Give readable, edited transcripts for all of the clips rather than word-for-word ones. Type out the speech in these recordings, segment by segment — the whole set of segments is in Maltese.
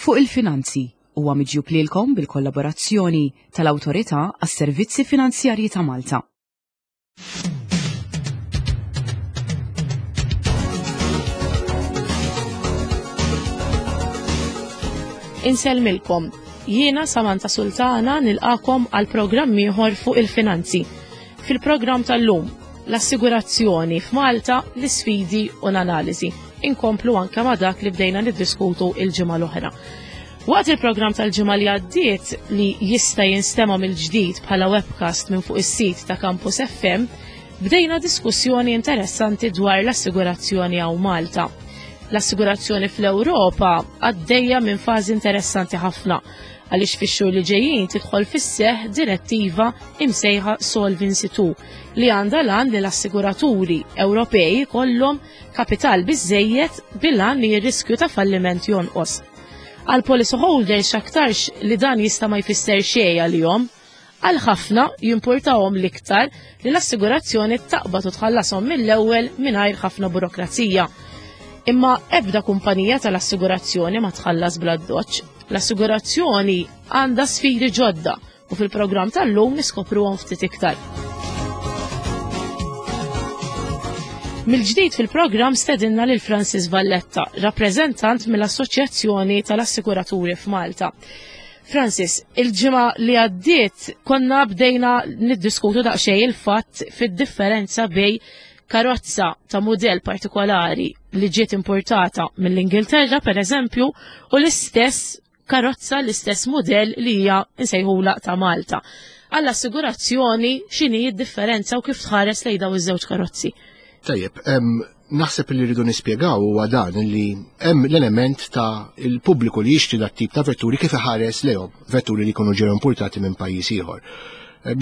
Fuq il-Finanzi huwa miġjub lilkom bil-kollaborazzjoni tal-Awtorità għas-Servizzi Finanzjarji ta' Malta. Insellmilkom. Jiena Samantha Sultana nilqakom għal programm ieħor fuq il-finanzi. Fil-programm tal-lum, l-assigurazzjoni f'Malta, l-isfidi u l-analiżi. Inkomplu anke ma' dak li bdejna niddiskutu il-ġimgħa l-oħra. Waqt il-programm tal-ġimgħa li għaddiet li jista' jinstema' mill-ġdid bħala webcast minn fuq is-sit ta' Campus FM, bdejna diskussjoni interessanti dwar l-assigurazzjoni hawn Malta. L-assigurazzjoni fl-Ewropa għaddejja minn fażi interessanti ħafna għaliex fix-xhur li ġejjin tidħol fis-seħħ direttiva imsejħa Solvency II li għandha l-għan li l-assiguraturi Ewropej ikollhom kapital biżżejjed bil-għan li r-riskju ta' falliment jonqos. Għal policy holders x'aktarx li dan jista' ma jfisser xejn għalihom. Għal ħafna jimpurtahom l-iktar li l-assigurazzjoni taqbad u tħallashom mill-ewwel mingħajr ħafna burokrazija. Imma ebda kumpanija tal-assigurazzjoni ma tħallas bla doċ. L-assigurazzjoni għandha sfidi ġodda u fil-programm tal-lum niskopruhom ftit iktar. Mill-ġdid fil-programm stedinna lil Francis Valletta, rappreżentant mill-Assoċjazzjoni tal-Assikuraturi f'Malta. Francis, il-ġimgħa li għaddiet konna bdejna niddiskutu daqsxejn il-fatt fid-differenza bej karozza ta' mudell partikolari li ġiet importata mill-Ingilterra, per eżempju, u l-istess karozza l-istess mudell li hija nsejħula ta' Malta. Għall-assigurazzjoni x'inhi d-differenza u kif tħares lejn daw iż-żewġ karozzi? Tajjeb, naħseb li rridu nispjegaw huwa dan li hemm l-element ta' il-pubbliku li jixtri dat tip ta' vetturi kif iħares lejhom, vetturi li jkunu ġew importati minn pajjiż ieħor.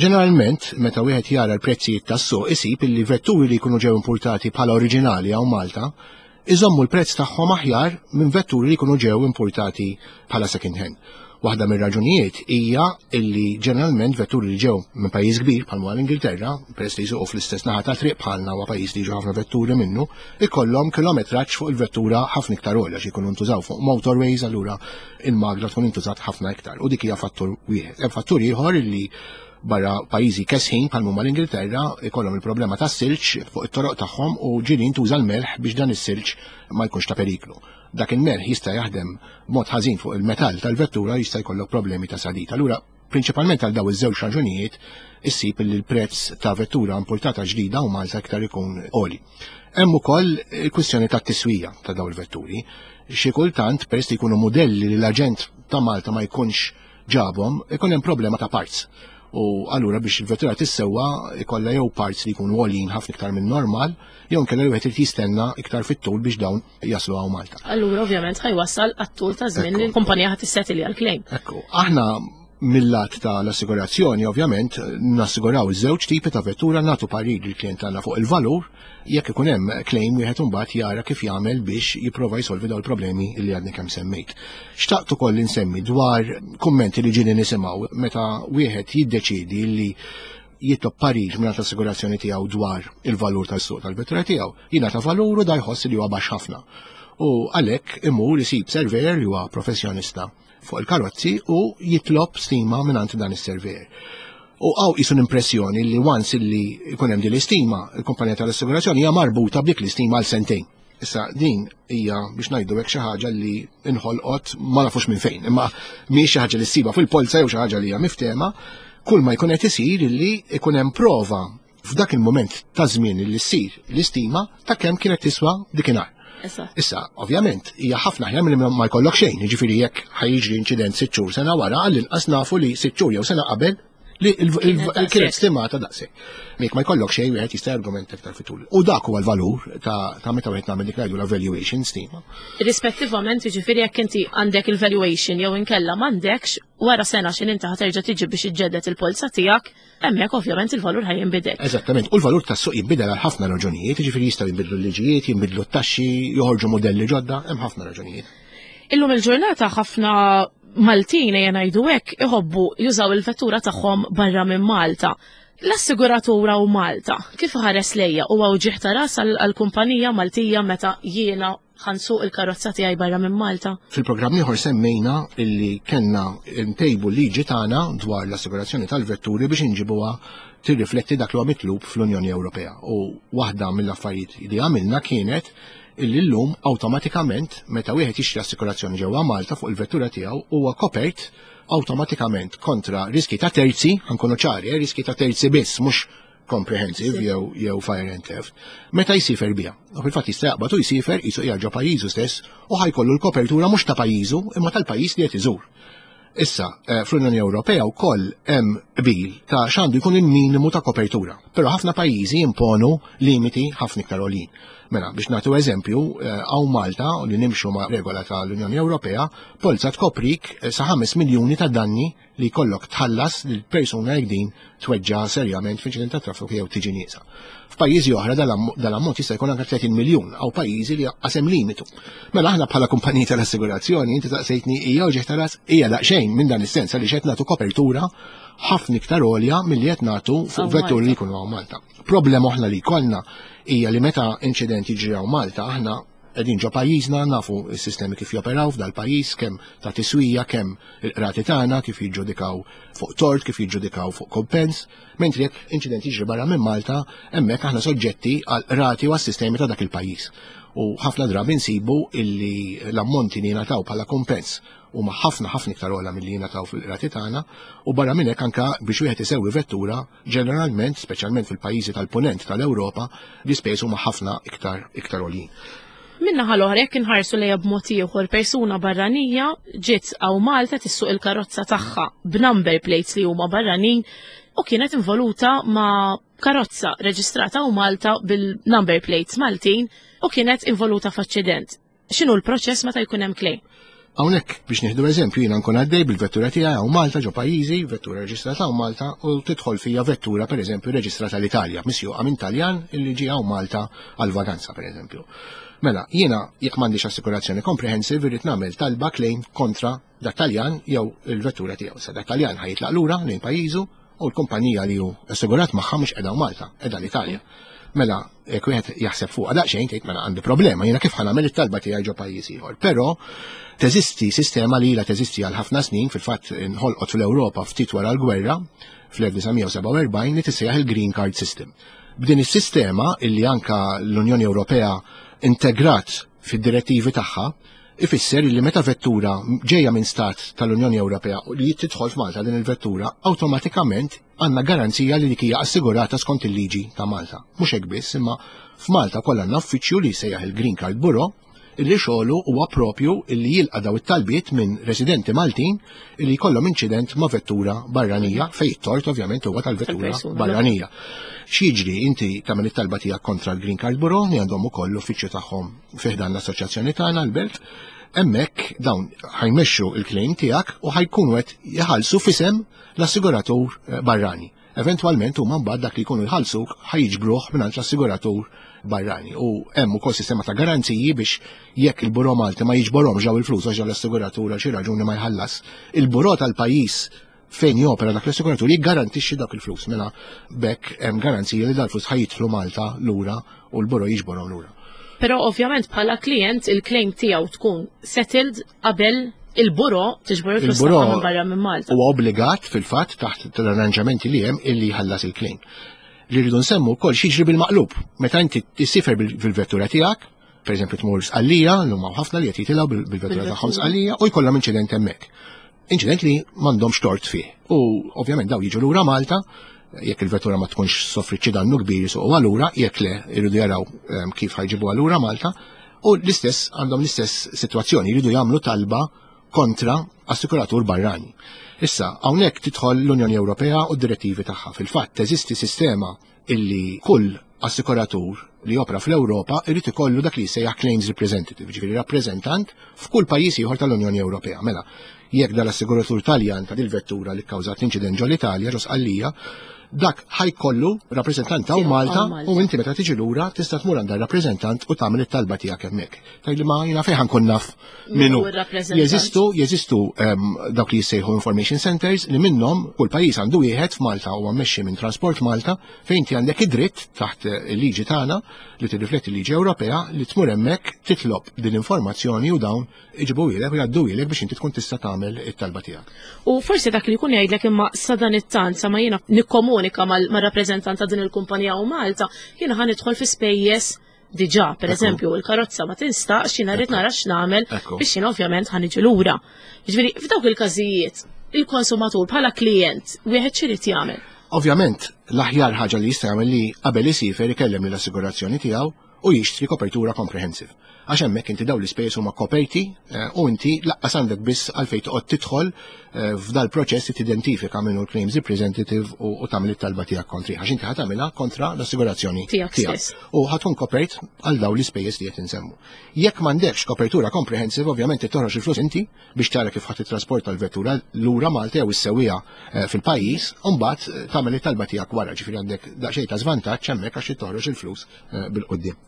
Ġeneralment, meta wieħed jara l-prezzijiet tas-suq isib illi vetturi li jkunu ġew importati bħala oriġinali hawn Malta iżommu l-prezz tagħhom aħjar minn vetturi li jkunu ġew importati bħala second hand. Waħda mir-raġunijiet hija illi ġeneralment vetturi li ġew minn pajjiż kbir bħal l-Ingilterra, peress li jsuqu fl-istess naħa ta' triq bħalna huwa pajjiż li jiġu ħafna vetturi minnu, ikollhom kilometraġġ fuq il-vettura ħafna iktar għolja xi jkunu ntużaw fuq motorways allura il-magna tkun intużat ħafna iktar u dik hija fattur wieħed. Hemm fattur ieħor illi barra pajjiżi kesħin bħal huma l-Ingilterra ikollhom il-problema tas-silġ fuq it-toroq tagħhom u ġieli jintuża l-melħ biex dan is-silġ ma jkunx ta' periklu. Dak il-melħ jista' jaħdem b'mod ħażin fuq il-metall tal-vettura jista' jkollok problemi ta' sadid. Allura prinċipalment għal daw iż-żewġ raġunijiet issib li l-prezz ta' vettura importata ġdida u Malta iktar ikun għoli. Hemm ukoll il-kwistjoni tat-tiswija ta' daw il-vetturi. Xi kultant peress li jkunu mudelli li l-aġent ta' Malta ma jkunx ġabhom, ikun hemm problema ta' parts. U allura biex il-vettura tissewwa ikollha jew parts li jkunu għoljin ħafna iktar minn normal, jew inkella li wieħed irid jistenna iktar fit-tul biex dawn jaslu hawn Malta. Allura ovvjament ħajwassal għat-tul ta' żmien li l-kumpanija ħadd tissetili għall-claim. Ekku, aħna mill-lat ta' l-assigurazzjoni ovvjament nassiguraw iż-żewġ tipi ta' vettura nagħtu parir lill-klient tagħna fuq il-valur Jekk ikun hemm claim wieħed imbagħad jara kif jagħmel biex jipprova jsolvi dawn il-problemi li għadni kemm semmejt. Xtaqt ukoll insemmi dwar kummenti li ġieli nisimgħu meta wieħed jiddeċiedi li jitlob parir minn assigurazzjoni tiegħu dwar il-valur tas-suq tal-vettura tiegħu, jingħata valur u da jħoss li huwa baxx ħafna. U għalhekk imur isib surveyor li huwa professjonista fuq il-karozzi u jitlob stima mingħand dan is-surveyor. U għaw jisu l-impressjoni li once li jkun hemm din l-istima, il-kumpanija tal-assigurazzjoni hija marbuta b'dik l-istima għal sentejn. Issa din hija biex ngħidu hekk xi ħaġa li inħolqot ma nafux minn fejn, imma mhix xi ħaġa li ssiba fil-polza jew xi ħaġa li hija miftema, kull ma jkun qed isir li jkun hemm prova f'dak il-moment ta' żmien li ssir l-istima ta' kemm kienet tiswa dikinhar. Issa, ovvjament, hija ħafna aħjar milli ma jkollok xejn, jiġifieri jekk ħajġri inċident sitt xhur sena wara, għall-inqas nafu li sitt xhur jew sena qabel li kienet stimata daqshekk. Jekk ma jkollok xejn wieħed jista' argument iktar fitul. U dak huwa l-valur ta' meta wieħed nagħmel dik ngħidu la valuation stima. Rispettivament, jiġifieri jekk inti għandek il-valuation jew inkella m'għandekx, wara sena x'in inti ħaterġa' tiġi biex iġġedded il-polza tiegħek, Hemmhekk ovvjament il-valur ħaj jinbidel. Eżattament, u l-valur tas-suq jinbidel għal ħafna raġunijiet, jiġifieri jistgħu jinbidlu l-liġijiet, jinbidlu t-taxxi, joħorġu modelli ġodda, hemm ħafna raġunijiet. Illum il-ġurnata ħafna Maltin ejja ngħidu hekk iħobbu jużaw il-vettura tagħhom barra minn Malta. L-assiguratura u Malta, kif ħares lejja u uġigħ ta' ras għall-kumpanija Maltija meta jiena Ħa nsuq il-karozza tiegħi barra minn Malta. Fil-programm ieħor semmejna illi kellna ntejbu liġi tagħna dwar l-assigurazzjoni tal-vetturi biex inġibuha tirrifletti dak li huwa mitlub fl-Unjoni Ewropea. U waħda mill-affarijiet li għamilna kienet illi llum awtomatikament meta wieħed jixtri assikurazzjoni ġewwa Malta fuq il-vettura tiegħu huwa kopert awtomatikament kontra riski ta' terzi, ħa nkunu ċari, riski ta' terzi biss, mhux comprehensive jew fire and theft, meta jsifer biha. U fil-fatt jista' jaqbad u jsifer qisu qiegħed ġo pajjiżu stess u ħa jkollu l-kopertura mhux ta' pajjiżu imma tal-pajjiż li qed iżur. Issa, fl-Unjoni Ewropea wkoll hemm qbil ta' x'għandu jkun il-minimu ta' kopertura. Però ħafna pajjiżi jimponu limiti ħafna iktar għoljin. Mela, biex nagħtu eżempju, hawn Malta li nimxu ma' regola tal-Unjoni Ewropea, polza tkoprik sa 5 miljuni ta' danni li jkollok tħallas lil persuna jekk din tweġġa' serjament f'inċident ta' traffiku jew tiġi nieqsa. F'pajjiżi oħra dal-ammont jista' jkun anke 30 miljun, hawn pajjiżi li qasem limitu. Mela aħna bħala kumpaniji tal-assigurazzjoni, inti taqsejtni hija uġigħ ta' ras, hija daqsxejn minn dan is-sens għaliex qed nagħtu kopertura ħafna iktar għolja milli qed nagħtu fuq vetturi li jkunu hawn Malta. Problema oħra li jkollna hija li meta inċident jiġri hawn Malta, aħna qegħdin ġo pajjiżna, nafu s-sistemi kif joperaw f'dal-pajjiż, kemm ta' tiswija, kemm il-qrati tagħna kif jiġġudikaw fuq tort, kif jiġġudikaw fuq kompens, mentri jekk inċident jiġri barra minn Malta, hemmhekk aħna soġġetti għal qrati u għas-sistemi ta' dak il-pajjiż. U ħafna drabi nsibu illi l-ammonti li jingħataw bħala kompens huma ħafna ħafna iktar ogħla milli jingħataw fil-qrati tagħna, u barra minn hekk anke biex wieħed isewwi vettura, ġeneralment, speċjalment fil-pajjiżi tal-punent tal-Ewropa, l-ispejjeż huma ħafna iktar iktar għoljin. Min-naħa l-oħra, jekk inħarsu lejha b'mod ieħor, persuna barranija ġiet hawn Malta tissuq il-karozza tagħha b'number plates li huma barranin u kienet involuta ma' karozza reġistrata hawn Malta bil-number plates Maltin u kienet involuta f'aċċident. X'inhu l-proċess meta jkun hemm claim? Hawnhekk biex nieħdu eżempju, jiena nkun għaddej bil-vettura tiegħi hawn Malta ġo pajjiżi, vettura reġistrata hawn Malta, u tidħol fija vettura pereżempju reġistrata l-Italja, misjuqa minn Taljan illi ġie hawn Malta għal vaganza pereżempju. Mela, jiena jekk m'għandix assikurazzjoni comprehensive irrid nagħmel talba claim kontra dat Taljan jew il-vettura tiegħu. Sa dat Taljan ħa jitlaq lura lejn pajjiżu u l-kumpanija li hu assigurat magħha mhux qiegħda Malta, qiegħda l-Italja. Mela, jekk wieħed jaħseb fuqha daqsxejn tgħid mela għandi problema, jiena kif ħa nagħmel it-talba tiegħi ġo pajjiż ieħor. Però teżisti sistema li ilha teżisti għal ħafna snin, fil-fatt inħolqot fl-Ewropa ftit wara l-gwerra fl-1947 li tissejjaħ il-Green Card System. B'din is-sistema illi anka l-Unjoni Ewropea integrat fid-direttivi tagħha, ifisser li meta vettura ġejja minn stat tal-Unjoni Ewropea u li tidħol f'Malta din il-vettura, awtomatikament għandna garanzija li dik hija assigurata skont il-liġi ta' Malta. Mhux hekk biss, imma f'Malta kollha għandna uffiċċju li jsejjaħ il-Green Card Bureau illi xogħlu huwa propju illi jilqa' daw it-talbiet minn residenti Maltin illi jkollhom inċident ma' vettura barranija fejn it-tort ovvjament huwa tal-vettura barranija. X'jiġri, inti tagħmel it-talba tiegħek kontra l-Green Card Bureau li għandhom ukoll l-uffiċċju tagħhom fi ħdan l-assoċjazzjoni tagħna l-Belt, hemmhekk dawn ħa jmexxu il-claim tiegħek u ħa jkunu qed jħallsu f'isem l-assiguratur barrani. Eventwalment huma mbagħad dak li jkunu jħallsuk ħa jiġbruh mingħand l-assiguratur barrani. U hemm ukoll sistema ta' garanziji biex jekk il-Buro Malti ma jiġborhomx daw il-flus għax l-assiguratur għal xi raġuni ma jħallas, il-Buro tal-pajjiż fejn jopera dak l-assiguratur jiggarantixxi dak il-flus. Mela bekk hemm garanzija li dal-flus ħa jidħlu Malta lura u l-Buro jiġborhom lura. Però ovvjament bħala klient il-claim tiegħu tkun settled qabel il-buro tiġbor il-flus Il-buro tagħha minn barra minn Malta. Huwa obbligat fil-fatt taħt l-arranġamenti li hemm illi jħallas il-claim. Li rridu nsemmu wkoll x'jiġri bil-maqlub. Meta inti tisifer bil-vettura tiegħek, per eżempju tmur Sqallija, llum hawn ħafna li qed jitilgħu bil-vettura tagħhom Sqallija u jkollhom inċident hemmhekk. Inċident li m'għandhomx tort fih. U ovvjament daw jiġu lura Malta, jekk il-vettura ma tkunx soffrit xi dannu kbir jisuqu lura, jekk le jridu jaraw kif ħa jġibuha lura Malta, u l-istess għandhom l-istess sitwazzjoni, jridu jagħmlu talba kontra assikuratur barrani. Issa, hawnhekk tidħol l-Unjoni Ewropea u d-direttivi tagħha. Fil-fatt teżisti sistema illi kull assikuratur li jopra fl-Ewropa irid ikollu dak li jsejjaħ claims representative, ġifieri rappreżentant f'kull pajjiż ieħor tal-Unjoni Ewropea. Mela, jekk dal-assiguratur Taljan ta' dil-vettura li kkawżat l-inċident ġol-Italja, ġo Sqallija, Dak ħa jkollu rappreżentant hawn Malta u inti meta tiġi lura tista' tmur għand rappreżentant u tagħmel it-talba tiegħek hemmhekk. Tgħidli ma jiena fejn ħa nkun naf min hu. Jeżistu jeżistu dawk li jissejħu information centers li minnhom kull pajjiż għandu wieħed. F'Malta huwa mmexxi minn Transport Malta, fejn inti għandek id-dritt taħt il-liġi tagħna li tirrifletti l-liġi Ewropea li tmur hemmhekk, titlob din l-informazzjoni u dawn iġibuhielek u jgħadduhielek biex inti tkun tista' tagħmel it-talba tiegħek. U forsi dak li jkun jgħidlek, imma sa dan it-tant, sa ma jiena nikkomunika mar-rappreżentant ta' din il-kumpanija u Malta, jiena ħa nidħol fi spejjeż diġà, per eżempju, il-karozza ma tinstaqx, jiena rrid nara x'nagħmel biex jiena ovvjament ħa niġi lura. Jiġifieri f'dawk il-każijiet, il-konsumatur bħala klient wieħed x'irid jagħmel? Ovvjament, l-aħjar ħaġa li jista' jagħmel li qabel isiefer ikellem lill-assigurazzjoni tiegħu u jixtri kopertura comprehensive. Għax hemmhekk inti dawn l-ispejjeż huma koperti u inti lanqas għandek biss għalfejn toqgħod tidħol f'dal proċess li tidentifika minnu l-claims representative u tagħmel it-talba tiegħek kontri, għax inti ħa tagħmilha kontra l-assigurazzjoni tiegħek u ħa tkun kopert għal dawn l-ispejjeż li qed insemmu. Jekk m'għandekx kopertura comprehensive, ovvjament toħroġ il-flus inti biex tara kif ħa titrasporta l-vettura lura Malta jew issewwiha fil-pajjiż, u mbagħad tagħmel it-talba tiegħek wara, ġifieri għandek daqsxejn ta' żvantaġġ hemmhekk għax toħroġ il-flus bil-quddiem.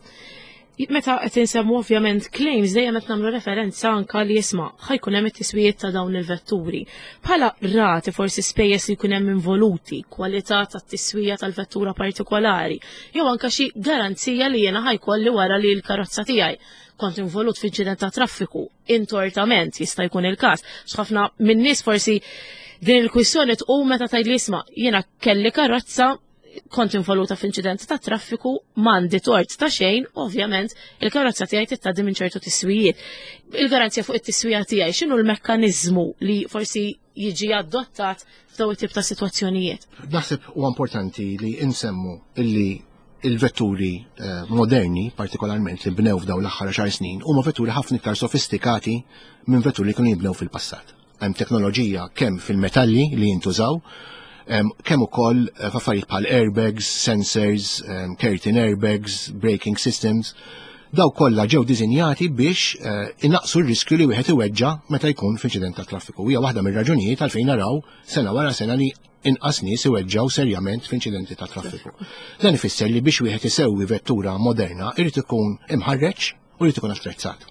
Meta qed insemmu ovvjament claims, dejjem qed nagħmlu referenza anka li jisma' ħa jkun hemm it-tiswijiet ta' dawn il-vetturi. Bħala rati, forsi spejjeż li jkun hemm involuti, kwalità tat-tiswija tal-vettura partikolari, jew anka xi garanzija li jiena ħa jkolli wara li l-karozza tiegħi kont involut f'inċident ta' traffiku, intortament jista' jkun il-każ. X'ħafna min-nies forsi din il-kwistjoni tqum meta tgħid li isma' jiena kelli karozza, kont involuta f'inċident ta' traffiku, m'għandi tort ta' xejn, ovvjament il-karozza tiegħi tgħaddi minn ċertu tiswijiet. Il-garanzija fuq it-tiswija tiegħi, x'inhu l-mekkaniżmu li forsi jiġi adottat f'daw it-tip ta' sitwazzjonijiet? Naħseb huwa importanti li insemmu illi il-vetturi moderni, partikolarment li bnew f'daw l-aħħar 10 snin, huma vetturi ħafna iktar sofistikati minn vetturi li kienu jibnew fil-passat. Hemm teknoloġija kemm fil-metalli li jintużaw, kemm ukoll f'affarijiet bħal airbags, sensors, curtain airbags, braking systems. Daw kollha ġew diżinjati biex inaqsu r-riskju li wieħed iweġġa meta jkun f'inċident ta' traffiku. Hija waħda mir-raġunijiet għalfejn naraw sena wara sena li inqas nies iweġġaw serjament f'inċidenti ta' traffiku. Dan ifisser li biex wieħed isewwi vettura moderna irid ikun imħarreġ u jrid ikun attrezzat.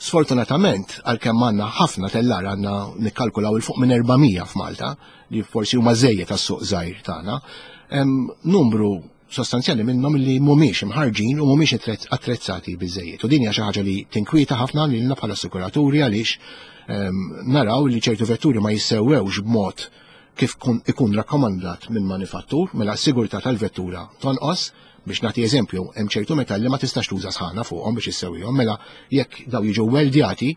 Sfortunatament, għalkemm għandna ħafna tellar, għandna nikkalkulaw 'il fuq minn 400 f'Malta, li forsi huma żejjed għas-suq żgħir tagħna, hemm numru sostanzjali minnhom li mhumiex imħarġin u mhumiex attrezzati biżejjed. U din hija xi ħaġa li tinkwieta ħafna lilna bħala assikuraturi, għaliex naraw li ċertu vetturi ma jissewwewx b'mod kif ikun rakkomandat minn manifattur, mela s-sigurtà tal-vettura tonqos. Biex nagħti eżempju, hemm ċertu metalli ma tistax tuża sħana fuqhom biex issewwihom, mela jekk daw jiġu weldjati,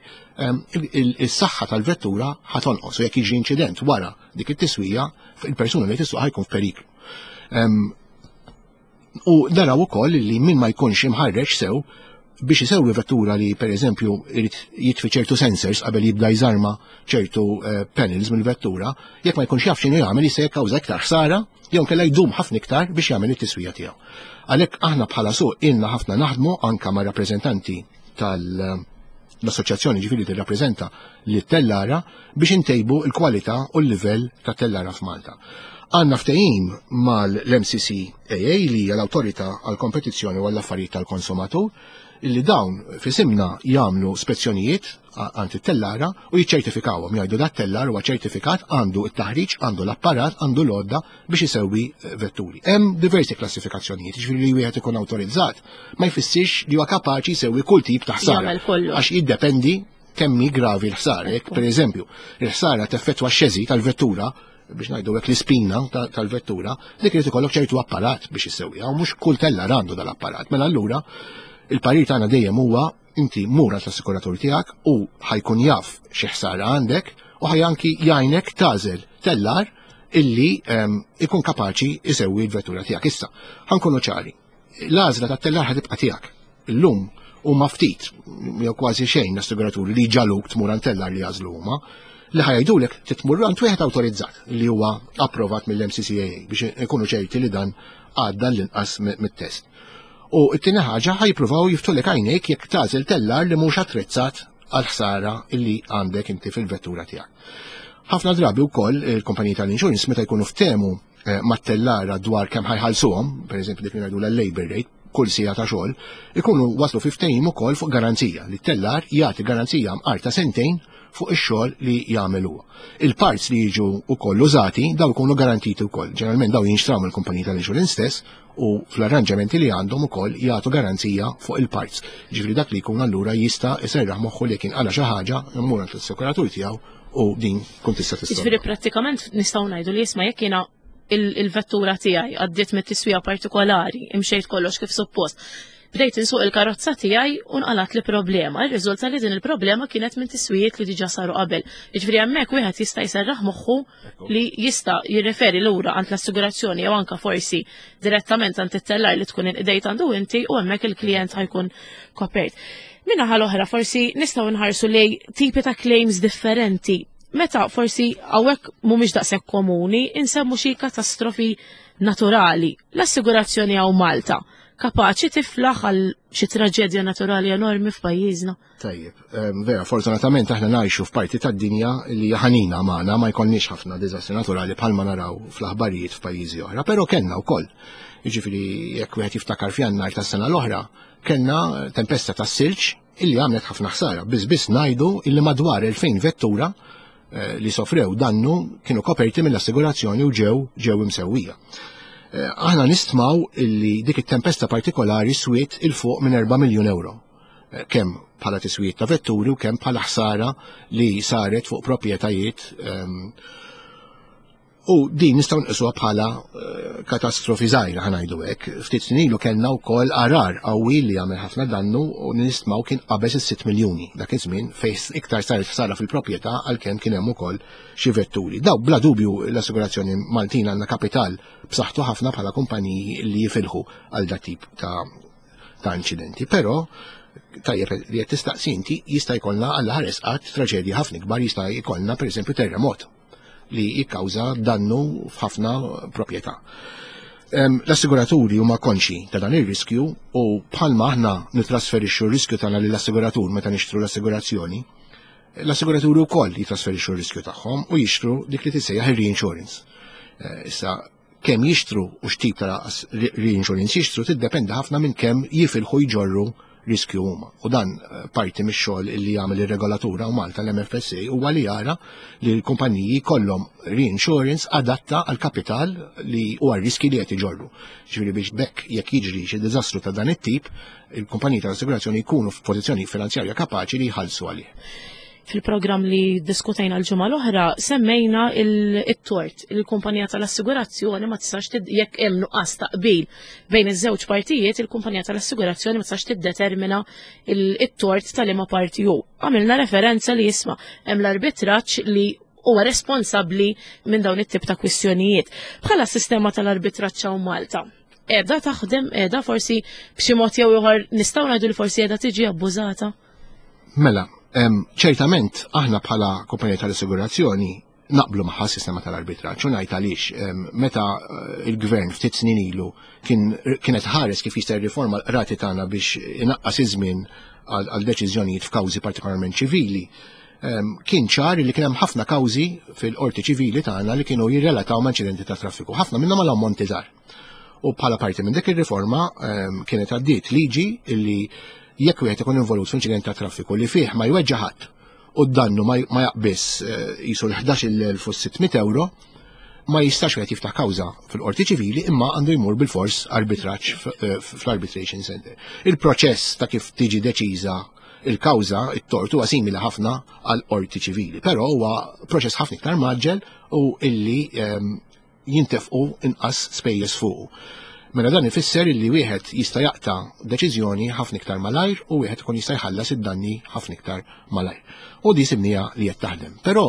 is-saħħa tal-vettura ħa tonqos u jekk jiġi inċident wara dik it-tiswija, il-persuna li tissuq ħa jkun f'periklu. U naraw ukoll li min ma jkunx imħarreġ sew biex isewwi vettura, li per eżempju irid jitfi ċertu sensors qabel jibda jżarma ċertu panels mill-vettura, jekk ma jkunx jaf x'inhu jagħmel, jista' jikkawża iktar ħsara jew kella jdum ħafna iktar biex jagħmel it-tiswija tiegħu. Għalhekk aħna bħala suq ilna ħafna naħdmu anka ma' rappreżentanti tal-assoċjazzjoni, ġifieri tirrappreżenta li tellara, biex intejbu l-kwalità u l-livell ta' tellara f'Malta. Għandna ftehim mal-MCCAA, li hija l-Awtorità għall-Kompetizzjoni u għall-Affarijiet tal-Konsumatur, illi dawn f'isimna jagħmlu spezzjonijiet għand it-tellara u jiċċertifikawhom, jgħidu dat tellar huwa ċertifikat, għandu it-taħriġ, għandu l-apparat, għandu l-għodda biex isewwi vetturi. Hemm diversi klassifikazzjonijiet, ġifieri li wieħed ikun awtorizzat ma jfissirx li huwa kapaċi jsewwi kull tip ta' ħsara. Għax jiddependi kemm hi gravi l-ħsara. Jekk pereżempju il-ħsara teffettwa x-chassis tal-vettura, biex ngħidu hekk l-ispina tal-vettura, dik irid ikollok ċertu apparat biex issewwiha u mhux kull tellar għandu dal-apparat. Mela allura il-parir tagħna dejjem huwa inti mur l-assikuratur tiegħek u ħa jkun jaf xi ħsara għandek u ħa anki jgħinek tagħżel tellar illi ikun kapaċi isewwi l-vettura tiegħek. Issa, ħa nkunu ċari, l-għażla tat-tellar ħa tibqa' tiegħek. Illum huma ftit, jew kważi xejn, l-assiguraturi li jġagħluk tmur għand tellar li jagħżlu huma, li ħa jgħidulek titmur għand wieħed awtorizzat li huwa approvat mill-MCCAA biex ikunu ċerti li dan għadda l-inqas mit-test. U t-tieni ħaġa, ħa jippruvaw jiftħulek għajnejk jekk tagħżel tellar li mhux attrezzat għal ħsara illi għandek inti fil-vettura tiegħek. Ħafna drabi wkoll il-kumpaniji tal-insurance meta jkunu ftehmu mat-tellara dwar kemm ħa jħallsuhom, pereżempju dik li ngħidu l-labor rate, kull siegħa ta' xogħol, ikunu waslu fi ftehim ukoll fuq garanzija li t-tellar jagħti garanzija mqar ta' sentejn fuq ix-xogħol li jagħmel huwa. Il-parts li jiġu wkoll użati daw ikunu garantiti wkoll. Ġeneralment daw jinxtraw mill-kumpaniji tal-insurance stess u fl-arranġamenti li għandhom ukoll jagħtu garanzija fuq il-parts. Ġifieri dak li jkun allura jista' jserraħ moħħu li kien qala xi ħaġa immur għand l-assikuratur tiegħu u din tkun tista' tista'. Ġifieri prattikament nistgħu ngħidu li jisma' jekk jiena il-vettura tiegħi għaddiet mit-tiswija partikolari, imxejt kollox kif suppost. Bdejt insuq il-karozza tiegħi u nqalat li problema. Irriżulta li din il-problema kienet minn tiswijiet li diġà saru qabel. Jiġifieri hemmhekk wieħed jista' jserraħ moħħu li jista' jirreferi lura għand l-assigurazzjoni jew anka forsi direttament għand it-tellar li tkun inqdejt għandu inti u hemmhekk il-klijent ħa jkun kopert. Min-naħa l-oħra forsi nistgħu nħarsu lej tipi ta' claims differenti. Meta forsi hawnhekk mhumiex daqshekk komuni, insemmu xi katastrofi naturali. L-assigurazzjoni hawn Malta kapaċi tiflaħ għal xi traġedja naturali enormi f'pajjiżna. Tajjeb, vera, fortunatament aħna ngħixu f'parti tad-dinja li ħanina magħna ma jkollniex ħafna diżastri naturali bħalma naraw fl-aħbarijiet f'pajjiżi oħra, però kellna wkoll. Jiġifieri jekk wieħed jiftakar f'Jannar tas-sena l-oħra, kellna tempesta tas-silġ illi għamlet ħafna ħsara. Biss biss ngħidu illi madwar 2000 vettura li sofrew dannu kienu koperti mill-assigurazzjoni u ġew ġew imsewwija. Aħna nistmaw illi dik it-tempesta partikolari swiet il fuq minn 4 miljun euro. Kemm bħala tiswiet ta' vetturi u kemm bħala ħsara li saret fuq proprjetajiet U din nistgħu nqisuha bħala katastrofi żgħira ħa ngħidu hekk. Ftit snin ilu kellna wkoll għarar qawwi li għamel ħafna dannu u nistmaw kien qabeż is-6 miljuni dak iż-żmien fejn iktar saret ħsara fil-proprjetà għalkemm kien hemm ukoll xi vetturi. Daw bla dubju l-assigurazzjoni Maltin għandna kapital b'saħħtu ħafna bħala kumpaniji li jifilħu għal dat tip ta' inċidenti. Però tajjeb li qed tistaqsi inti jista' jkollna għal ħares qatt traġedji ħafna kbar, jista' jkollna pereżempju terremot li jikkawża dannu f'ħafna proprjetà. L-assiguraturi huma konxi ta' dan ir-riskju u bħalma aħna nitrasferixxu r-riskju tagħna lill-assiguratur meta nixtru l-assigurazzjoni, l-assiguraturi wkoll jitrasferixxu r-riskju tagħhom u jixtru dik li tissejjaħ ir-reinsurance. Issa kemm jixtru u x'tip ta' reinsurance jixtru tiddependi ħafna minn kemm jifilħu jġorru riskju huma. U dan parti mix-xogħol li jagħmel ir-regolatura u Malta l-MFSA huwa li jara li l-kumpaniji kollhom reinsurance adatta għal kapital li huwa riski li qed iġorru. Ġifieri biex bekk jekk jiġri xi diżastru ta' dan it-tip, il-kumpaniji tal-assigurazzjoni jkunu f'pożizzjoni finanzjarja kapaċi li jħallsu għalih. Fil-programm li diskutejna l-ġimgħa l-oħra semmejna il-tort il-kumpanija tal-assigurazzjoni ma tistax jekk hemm nuqqas ta' qbil bejn iż-żewġ partijiet, il-kumpanija tal-assigurazzjoni ma tistax tiddetermina it-tort tal-liema parti hu. Għamilna referenza li jisma' hemm l-arbitraġġ li huwa responsabbli minn dawn it-tip ta' kwistjonijiet. Bħala sistema tal-arbitraġġ hawn Malta, qiegħda taħdem, qiegħda forsi b'xi mod jew ieħor nistgħu ngħidu li forsi qiegħda tiġi abbużata? Mela, ċertament aħna bħala kumpanija tal-assigurazzjoni naqblu magħha sistema tal-arbitraġġ u ngħid għaliex meta il-gvern ftit snin ilu kienet ħares kif jista' jirriforma l-qrati tagħna biex inaqqas iż-żmien għal deċiżjonijiet f'kawżi partikolarment ċivili, kien ċar li kien hemm ħafna kawżi fil-qorti ċivili tagħna li kienu jirrelataw ma' inċidenti ta' traffiku, ħafna minnhom għal ammonti żgħar. U bħala parti minn dik ir-riforma kienet għaddiet liġi li jekk wieħed ikun involut f'inċident ta' traffiku li fih ma jweġġa' ħadd u d-dannu ma jaqbiss jisu l-11,600 euro, ma jistax wieħed jiftaħ kawża fil-qorti ċivili imma għandu jmur bil-fors arbitraġġ fl-arbitration center. Il-proċess ta' kif tiġi deċiża il-kawża, it-tort huwa simili ħafna għal qorti ċivili, però huwa proċess ħafna iktar maġġel u illi jintefqu inqas spejjeż fuqu. Mela dan ifisser illi wieħed jista' jaqta' deċiżjoni ħafna iktar malajr u wieħed ikun jista' jħallas id-danni ħafna iktar malajr. U di sibnija li qed taħdem. Però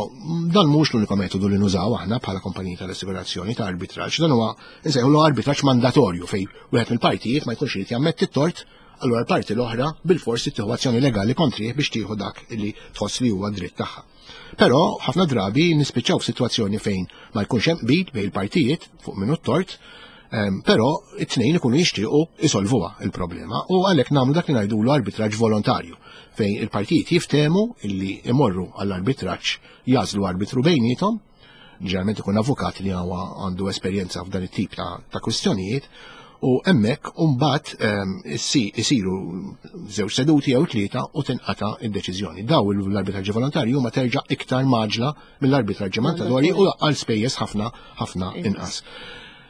dan mhux l-uniku metodu li nużaw aħna bħala kumpaniji tal-assigurazzjoni ta' arbitraġġ. Dan huwa nsejħulu arbitraġġ mandatorju fejn wieħed mill-partijiet ma jkunx irid jammetti t-tort, allura l-parti l-oħra bil-forsi tieħu azzjoni legali kontrih biex tieħu dak li tħoss li huwa dritt tagħha. Però ħafna drabi nispiċċaw f'sitwazzjoni fejn ma jkunx hemm qbil bejn il-partijiet fuq minnu t-tort, però it-tnejn ikunu jixtiequ isolvuha il-problema u għalhekk nagħmlu dak li ngħidulu arbitraġġ volontarju fejn il-partijiet jiftehmu illi imorru għall-arbitraġġ, jagħżlu arbitru bejniethom. Ġeneralment ikun avukat li huwa għandu esperjenza f'dan it-tip ta', ta kwistjonijiet u hemmhekk mbagħad ehm, isiru żewġ seduti jew tlieta u tinqata' id-deċiżjoni. Daw l-arbitraġġi volontarji huma terġa' iktar maġla mill-arbitraġġi mandatorji u għal spejjeż ħafna ħafna inqas.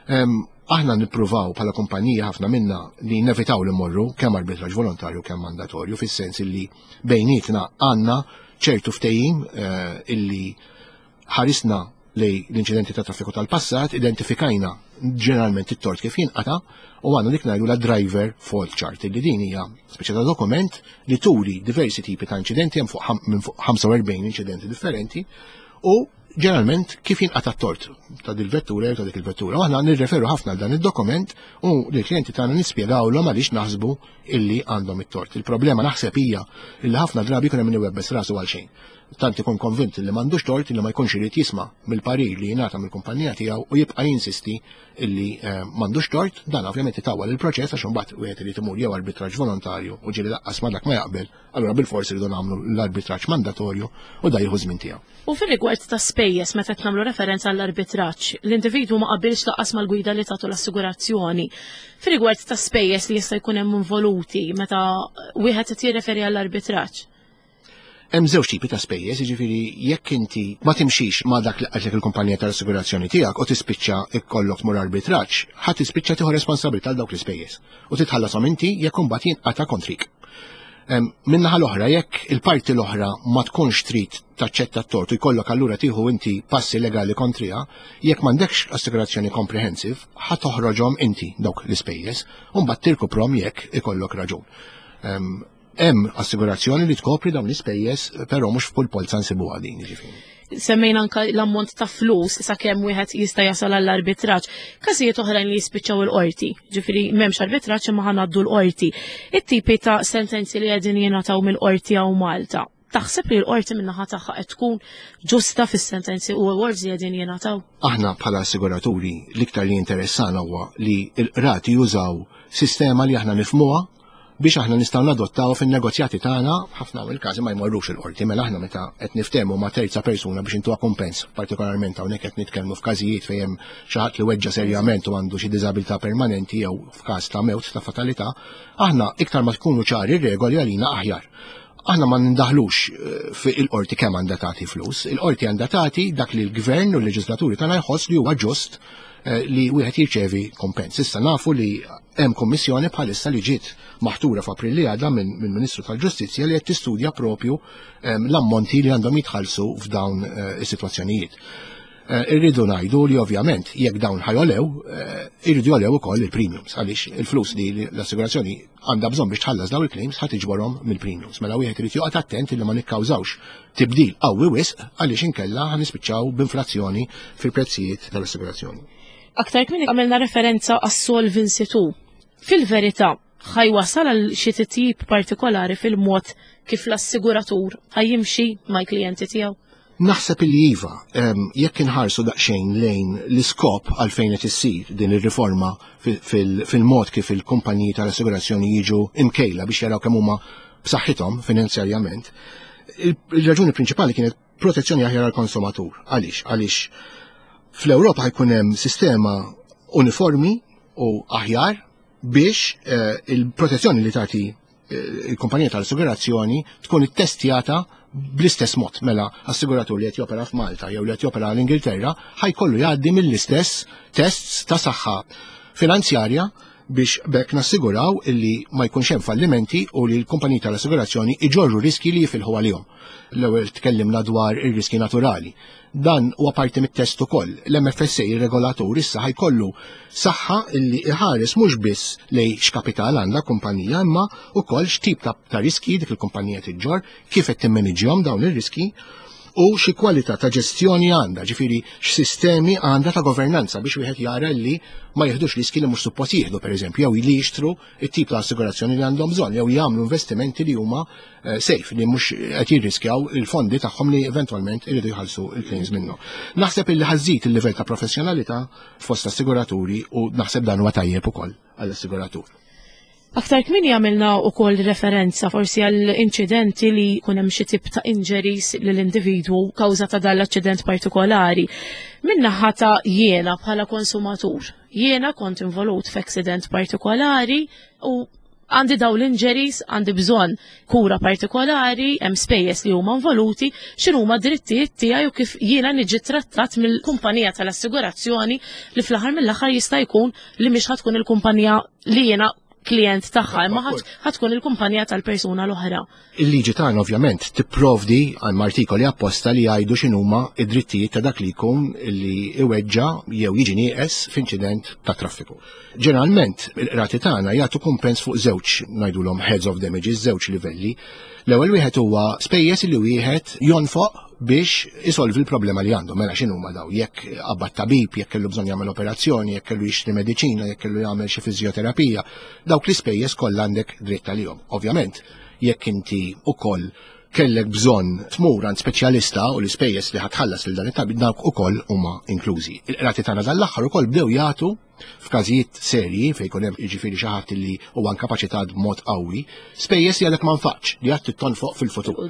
Ehm, aħna nippruvaw bħala kumpanija ħafna minna li nevitaw li morru kemm arbitraġġ volontarju kemm mandatorju fis-sens li bejnietna għandna ċertu ftehim eh, illi ħarisna lej l-inċidenti ta' traffiku tal-passat, identifikajna ġeneralment it-tort kif jinqata u għandna dik ngħidu la driver fault chart li din hija speċi ta' dokument li turi diversi tipi ta' inċidenti hemm fuq minn fuq 45 inċidenti differenti u ġeneralment kif jinqata t-tort ta' dil-vettura jew ta' dik il-vettura. U aħna nirreferu ħafna għal dan id-dokument u lill-klijenti tagħna nispjegawlhom għaliex naħsbu illi għandhom it-tort. Il-problema naħseb hija illi ħafna drabi jkun hemm min iwebbes rasu għal xejn. Tant ikun konvint li m'għandux tort illi ma jkunx irid jisma' mill-parir li jingħata mill-kumpanija tiegħu u jibqa' jinsisti illi eh, m'għandux tort, dan ovvjament itawwal il-proċess għax imbagħad wieħed irid imur jew arbitraġġ volontarju u ġieli laqqas ma dak ma jaqbel, allura bilfors iridu nagħmlu l-arbitraġġ mandatorju u da jieħu żmien tiegħu. U fir-rigward ta' spejjeż meta qed nagħmlu referenza għall-arbitraġġ, l-individwu ma qabilx lanqas mal-gwida li tagħtu l-assigurazzjoni. Fir-rigward ta' spejjeż li jista' jkun hemm involuti meta wieħed qed jirreferi għall-arbitraġġ. Hemm żewġ tipi ta' spejjeż, jiġifieri jekk inti ma timxix ma' dak li qaltlek il-kumpanija tal-assigurazzjoni tiegħek u tispiċċa ikollok tmur arbitraġġ, ħa tispiċċa tieħu responsabilità għal dawk l-ispejjeż u titħallasom inti jekk imbagħad jinqata' kontrik. Min-naħa l-oħra, jekk il-parti l-oħra ma tkunx trid taċċetta t-tort u jkollok allura tieħu inti passi legali kontriha, jekk m'għandekx assigurazzjoni comprehensive, ħa toħroġhom inti dawk l-ispejjeż u mbagħad tirkuprom jekk ikollok raġun. Hemm assigurazzjoni li tkopri dawn l-ispejjeż, però mhux f'kull polza nsibuha din, jiġifieri. Semmejna anka l-ammont ta' flus sakemm wieħed jista' jasal għall-arbitraġġ. Każijiet oħrajn li jispiċċaw il-qorti, ġifieri m'hemmx arbitraġġ imma ħanaddu l-qorti. It-tipi ta' sentenzi li qegħdin jingħataw mill-qorti hawn Malta. Taħseb li l-qorti min-naħa tagħha qed tkun ġusta fis-sentenzi u awards li qegħdin jingħataw? Aħna bħala assiguraturi l-iktar li jinteressana huwa li l-qrati jużaw sistema li aħna nifhmuha biex aħna nistgħu nadottaw fin-negozjati tagħna ħafna mill-każi ma jmorrux il-qorti mela aħna meta qed niftehmu ma' terza persuna biex intuha kumpens, partikolarment hawnhekk qed nitkellmu f'każijiet fejn hemm xi ħadd li weġġa' serjament u għandu xi diżabilità permanenti jew f'każ ta' mewt ta' fatalità, aħna iktar ma tkunu ċari r-regoli għalina aħjar. Aħna ma nindaħlux eh, fi il-qorti kemm għandha tagħti flus, il-qorti għandha tagħti dak li l-gvern u l-leġislaturi tagħna jħoss li huwa ġust eh, li wieħed jirċevi kompens. Issa nafu li Hemm kummissjoni bħalissa li ġiet maħtura f'April li għadha minn Ministru tal-Ġustizzja li qed tistudja propju ehm, l-ammonti li għandhom jitħallsu f'dawn eh, is-sitwazzjonijiet. Eh, irridu ngħidu li ovvjament jekk dawn ħajolew, eh, irridu jolew ukoll il-premiums għaliex il-flus li l-assigurazzjoni għandha bżonn biex tħallas dawn il-claims ħadd iġborhom mill-premiums. Mela wieħed irid joqgħod attent li ma nikkawżawx tibdil qawwi wisq għaliex inkella ħanispiċċaw b'inflazzjoni fil-prezzijiet tal-assigurazzjoni. Aktar kmieni għamilna referenza għas-Solvency 2. Fil-verità, ħajwasal għal xi titjib partikolari fil-mod kif l-assiguratur ħajjimxi mal-klijenti tiegħu? Naħseb li iva, jekk inħarsu daqsxejn lejn l-iskop għalfejn qed issir din ir-riforma fil-mod kif il-kumpaniji tal-assigurazzjoni jiġu imkejla biex jaraw kemm huma b'saħħithom finanzjarjament, il-raġuni prinċipali kienet protezzjoni aħjar għall-konsumatur. Għaliex? Għaliex fl-Ewropa ħajkun hemm sistema uniformi u aħjar biex eh, il-protezzjoni li tagħti eh, il-kumpanija tal-assigurazzjoni tkun ittestjata bl-istess mod mela assiguratur li qed jopera f'Malta jew li qed jopera l-Ingilterra ħajkollu jgħaddi mill-istess tests ta' saħħa finanzjarja biex b'hekk nassiguraw illi ma jkunx hemm fallimenti u li l-kumpaniji tal-assigurazzjoni iġorru riski li jifilħu għalihom. L-ewwel tkellimna dwar ir-riski naturali. Dan huwa parti mit-test ukoll. L-MFSA ir-regolatur issa ħajkollu saħħa illi iħares mhux biss lej x'kapital għandha kumpanija imma wkoll x'tip ta' riski dik il-kumpanija tiġġor, kif qed timmaniġjhom dawn ir-riski u xi kwalità ta' ġestjoni għandha, ġifieri x'sistemi għandha ta' governanza biex wieħed jara li ma jieħdux riski li mhux suppost jieħdu pereżempju, jew li jixtru it-tip ta' assigurazzjoni li għandhom bżonn, jew jagħmlu investimenti li huma eh, safe, li mhux qed jirriskjaw il-fondi tagħhom li eventwalment iridu jħallsu il-claims minnu. Naħseb illi ħażid il-livell ta' professjonalità fost assiguraturi u naħseb dan huwa tajjeb ukoll għall-assiguratur. Aktar kmieni għamilna wkoll referenza forsi għal inċidenti li jkun hemm xi tip ta' injuries lill individwu kawża ta' dan l-aċċident partikolari. Min-naħa ta' jiena bħala konsumatur, jiena kont involut f'accident partikolari u għandi daw l-injuries, għandi bżonn kura partikolari, hemm spejjeż li huma involuti, x'inhuma drittijiet tiegħi u kif jiena niġi trattat mill-kumpanija tal-assigurazzjoni li fl-aħħar mill-aħħar jista' jkun li mhix ħatkun il-kumpanija li jiena klient tagħha, imma ħatkun il-kumpanija tal-persuna l-oħra. Il-liġi tagħna ovvjament tipprovdi għal artikoli apposta li jgħidu x'inhuma id-drittijiet ta' dak li jkun li iweġġa jew jiġi nieqes f'inċident ta' traffiku. Ġeneralment, il-qrati tagħna jagħtu kumpens fuq żewġ ngħidulhom heads of damages, żewġ livelli. L-ewwel wieħed huwa spejjeż li wieħed jonfoq biex isolvi l-problema li għandu. Mela x'inhuma daw? Jekk qabad tabib, jekk kellu bżonn jagħmel operazzjoni, jekk kellu jixtri mediċina, jekk kellu jagħmel xi fiżjoterapija, dawk l-ispejjeż kollha għandek dritt għalihom. Ovvjament, jekk inti ukoll kellek bżonn tmur għand speċjalista u l-ispejjeż li ħatħallas lil dan it-tabib dawk ukoll huma inklużi. Il-qrati tagħna dal-aħħar ukoll bdew jagħtu f'każijiet serji fejn jkun hemm jiġifieri xi ħadd li huwa inkapaċitat b'mod qawwi, spejjeż li għadek ma nfaqx li għad tittonfoq fil-futur.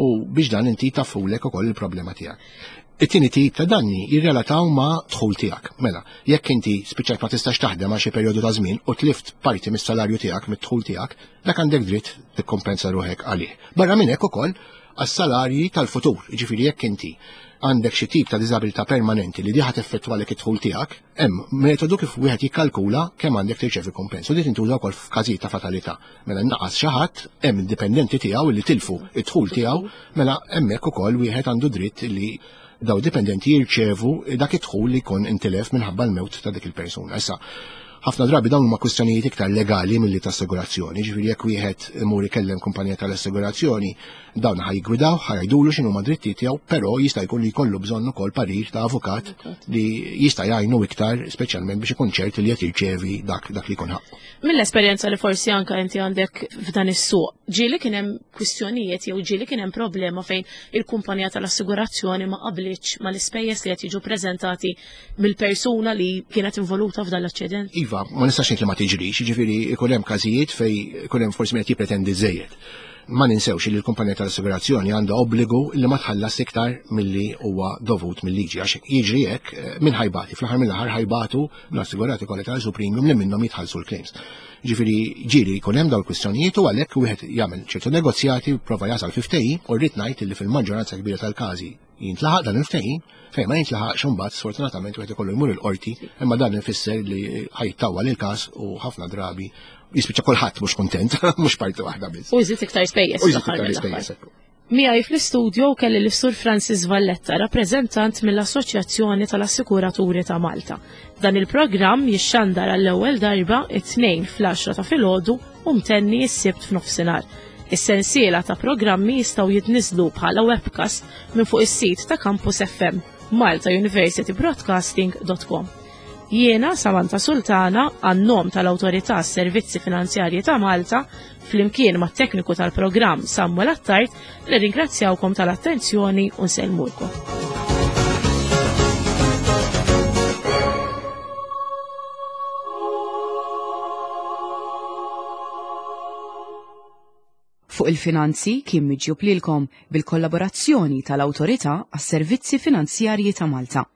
U biex dan inti tafulek ukoll il-problema tiegħek. It-tieni tip ta' danni jirrelataw ma' dħul tiegħek. Mela, jekk inti spiċċajt ma tistax taħdem għal xi perjodu ta' żmien u tlift parti mis-salarju tiegħek, mid-dħul tiegħek, dak għandek dritt tikkompensa ruħek għalih. Barra minn hekk ukoll għas-salarji tal-futur, jiġifieri jekk inti għandek xi tip ta' diżabilità permanenti li diħa teffettwalek id-dħul tiegħek, hemm metodu kif wieħed jikkalkula kemm għandek tirċevi kumpens. U din tintuża wkoll f'każijiet ta' fatalità. Mela naqas xi ħadd hemm dipendenti tiegħu li tilfu id-dħul tiegħu, mela hemmhekk ukoll wieħed għandu dritt li daw dipendenti jirċevu dak id-dħul li jkun intilef minħabba l-mewt ta' dik il-persuna. Issa, ħafna drabi dawn huma kwistjonijiet iktar legali milli ta' assigurazzjoni, ġifieri jekk wieħed imur ikellem kumpanija tal-assigurazzjoni, dawn ħa jiggwidaw, ħa jgħidulu x'inhu ma drittijiet tiegħu, però jista' jkun li jkollu bżonn ukoll parir ta' avukat li jista' jgħinu iktar, speċjalment biex ikun ċert li qed jirċevi dak, dak li jkun ħaqqu. Mill-esperjenza li forsi anka inti għandek f'dan is-suq, ġieli kien hemm kwistjonijiet jew ġieli kien hemm problema fejn il-kumpanija tal-assigurazzjoni ma qablitx mal-ispejjeż li qed jiġu preżentati mill-persuna li kienet involuta f'dan l-aċċident? Iva, ma nistax ngħid li ma tiġrix, jiġifieri ikun hemm każijiet fejn ikun hemm forsi min qed jippretendi żejjed. Ma ninsewx li l-kumpanija tal-assigurazzjoni għandha obbligu li ma tħallas iktar milli huwa dovut mill-liġi għax jiġri hekk eh, min ħajbati, fl-aħħar mill-aħħar ħajbatu l-assigurati kollha tal premium li minnhom jitħallsu l-claims. Ġifieri ġieli jkun hemm dawn il-kwistjonijiet u għalhekk wieħed jagħmel ċertu negozjati prova jasal fi ftehim u rrid ngħid li fil-maġġoranza kbira tal-każi jintlaħaq dan il-ftehim, fejn ma jintlaħaqx imbagħad sfortunatament wieħed ikollu jmur il-qorti, imma dan ifisser li ħajtawwal il-każ u ħafna drabi jispiċċa kulħadd mhux kuntent, mhux parti waħda biss. U jżid iktar spejjeż. U jżid iktar spejjeż. Miegħi fl-istudio kelli l-Sur Francis Valletta, rappreżentant mill-Assoċjazzjoni tal-Assikuraturi ta' Malta. Dan il-programm jixxandar għall-ewwel darba it-tnejn fl-10 ta' filgħodu u mtenni s-Sibt f'nofsinhar. Is-sensiela ta' programmi jistgħu jitniżlu bħala webcast minn fuq is-sit ta' Campus FM, maltauniversitybroadcasting.com. Jiena Samantha Sultana għan-nom tal-Awtorità Servizzi Finanzjarji ta' Malta flimkien mat-tekniku tal-programm Samuel Attard nirringrazzjawkom tal-attenzjoni u nsellmulkom. Fuq il-Finanzi kien miġjub lilkom bil-kollaborazzjoni tal-Awtorità għas-Servizzi Finanzjarji ta' Malta.